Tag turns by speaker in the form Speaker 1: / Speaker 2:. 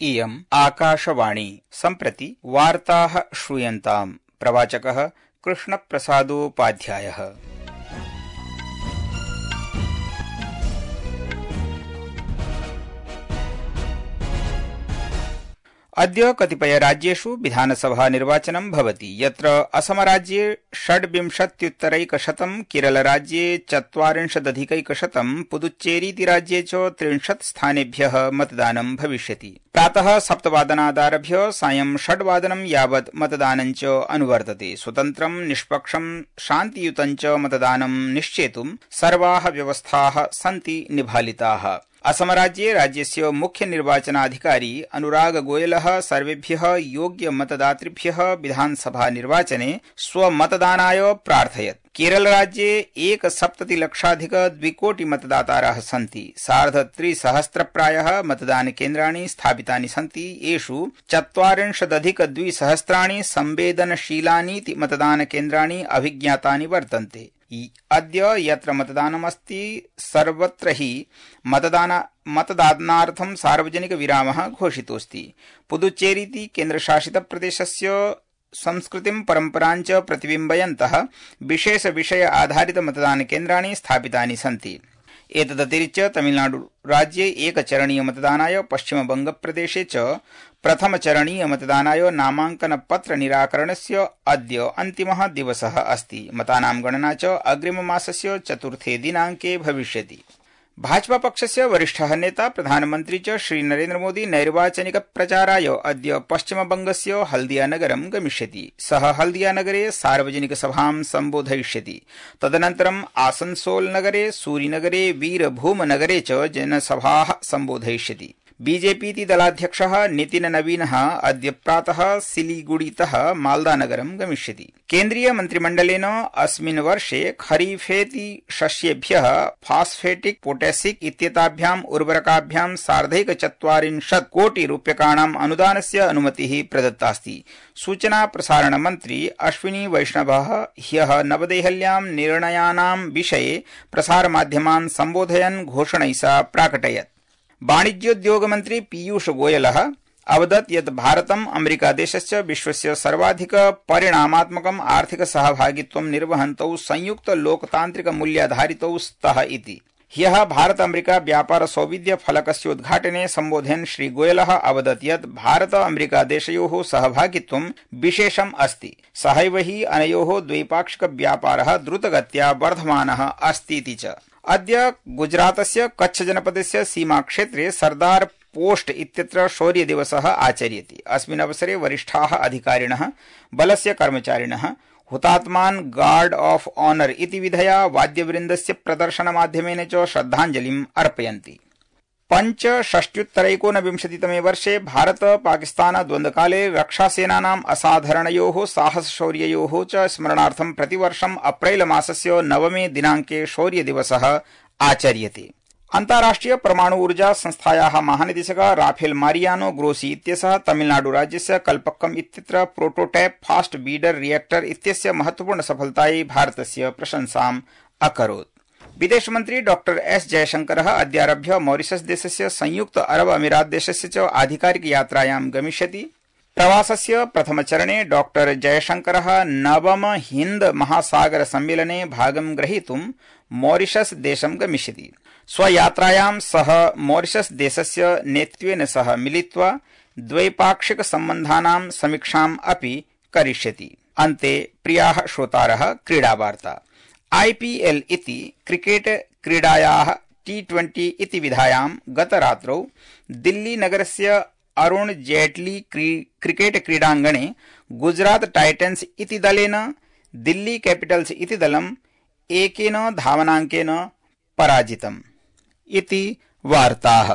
Speaker 1: इयम् आकाशवाणी। सम्प्रति वार्ताः श्रूयन्ताम्। प्रवाचकः कृष्णप्रसादोपाध्यायः। अद्य कतिपय राज्येषु विधानसभा निर्वाचनं भवति, यत्र असमराज्ये 26,000, केरलराज्ये 40,000, पुदुच्चेरीति राज्ये च 30 स्थानेभ्यः मतदानं भविष्यति। प्रातः 7:00 सायं 6:00 यावत् मतदानं च अनुवर्तते। स्वतन्त्रं, निष्पक्षं, शान्तियुतं च मतदानं निश्चेतुं सर्वाः व्यवस्थाः सन्ति निभालिताः। असमराज्ये राज्यस्य मुख्य निर्वाचनाधिकारी अनुराग गोयलः सर्वेभ्यः योग्य मतदातृभ्यः विधानसभा निर्वाचने स्वमतदानाय प्रार्थयत्। केरलराज्ये 1,70,00,000 मतदातारः सन्ति। 3,50,000 प्रायः मतदानकेन्द्राणि स्थापितानि सन्ति। येषु 40,200 संवेदनशीलानीति मतदानकेन्द्राणि अभिज्ञातानि वर्तन्ते। अद्य यत्र मतदानमस्ति सर्वत्र हि मतदानार्थं सार्वजनिक विरामः घोषितोऽस्ति। पुदुच्चेरीति केन्द्रशासितप्रदेशस्य संस्कृतिं परम्परां च प्रतिबिम्बयन्तः विशेष विषय आधारित मतदानकेन्द्राणि स्थापितानि सन्ति। एतदतिरिच्य तमिलनाडु राज्ये एकचरणीय मतदानाय, पश्चिमबंगप्रदेशे च प्रथमचरणीय मतदानाय नामांकनपत्र निराकरणस्य अद्य अन्तिमः दिवसः अस्ति। मतानां गणना च अग्रिममासस्य 4 दिनाङ्के भविष्यति। भाजपा पक्षस्य वरिष्ठः नेता प्रधानमन्त्री च श्री नरेन्द्र मोदी नैर्वाचनिक प्रचाराय अद्य पश्चिमबंगस्य हल्दियानगरं गमिष्यति। सः हल्दियानगरे सार्वजनिक सभां सम्बोधयिष्यति। तदनन्तरं आसनसोल नगरे, सूरीनगरे, वीरभूमनगरे च जनसभाः सम्बोधयिष्यति। बीजेपीति दलाध्यक्षः नितिन नवीनः अद्य प्रातः सिलीगुड़ीतः माल्दानगरं गमिष्यति। केन्द्रीय मन्त्रिमण्डलेन अस्मिन् वर्षे खरीफेति शस्येभ्यः फास्फेटिक पोटेसिक इत्येताभ्याम् उर्वरकाभ्यां 4,40 कोटि रूप्यकाणाम् अनुदानस्य अनुमतिः प्रदत्तास्ति। सूचना प्रसारण मन्त्री अश्विनी वैष्णवः ह्यः नवदेहल्यां निर्णयानां विषये प्रसारमाध्यमान् सम्बोधयन् घोषणैषा प्राकटयत्। वाणिज्योद्योगमन्त्री पीयूष गोयलः अवदत् यत् भारतम् अमेरिकादेशश्च विश्वस्य सर्वाधिक परिणामात्मकम् आर्थिक सहभागित्वं निर्वहन्तौ संयुक्त लोकतान्त्रिक मूल्याधारितौ स्तः इति। ह्यः भारत अमेरिका व्यापार सौविध्य फलकस्योद्घाटने सम्बोधयन् श्री गोयलः अवदत् यत् भारत अमेरिका देशयोः सहभागित्वं विशेषम् अस्ति। सहैव हि अनयोः द्वैपाक्षिक व्यापारः द्रुतगत्या वर्धमानः अस्तीति च। अद्य गुजरातस्य कच्छ जनपदस्य सीमाक्षेत्रे सरदार पोस्ट इत्यत्र शौर्यदिवसः आचर्यते। अस्मिन् अवसरे वरिष्ठाः अधिकारिणः, बलस्य कर्मचारिणः हुतात्मान् गार्ड ऑफ ऑनर इति विधया वाद्यवृन्दस्य प्रदर्शनमाध्यमेन च श्रद्धाञ्जलिम् अर्पयन्ति। 65-ऊनविंशतितमे वर्षे भारत पाकिस्तान द्वन्द्वकाले रक्षासेनानाम् असाधारणयोः साहसशौर्ययोः च स्मरणार्थं प्रतिवर्षम् अप्रैल मासस्य 9 दिनाङ्के शौर्यदिवसः आचर्यते। अन्ताराष्ट्रिय परमाणु ऊर्जा संस्थायाः महानिदेशकः राफेल मारियानो ग्रोसी इत्यसः तमिलनाडु राज्यस्य कल्पक्कम इत्यत्र प्रोटोटाइप फास्ट बीडर रिएक्टर इत्यस्य महत्वपूर्ण सफलतायै भारतस्य प्रशंसाम् अकरोत्। विदेशमन्त्री डॉक्टर एस जयशंकरः अद्यारभ्य मॉरिशस देशस्य संयुक्त अरब अमीरात देशस्य च आधिकारिक यात्रायां गमिष्यति। प्रवासस्य प्रथमचरणे डॉक्टर जयशंकरः नवम हिन्द महासागर सम्मेलने भागं ग्रहीतुं मॉरिशस देशं गमिष्यति। स्वयात्रायां सः मॉरिशस देशस्य नेतृत्वेन सह मिलित्वा द्वैपाक्षिक सम्बन्धानां समीक्षाम् अपि करिष्यति। अन्ते प्रियाः श्रोतारः, क्रीडावार्ता। IPL इति क्रिकेट क्रीडायाः T20 इति विधायां गतरात्रौ दिल्ली नगरस्य अरुण जेटली क्रिकेट क्रीडाङ्गणे गुजरात टाइटन्स इति दलेन दिल्ली कैपिटल्स इति दलं 1 धावनाङ्केन पराजितम् इति वार्ताः।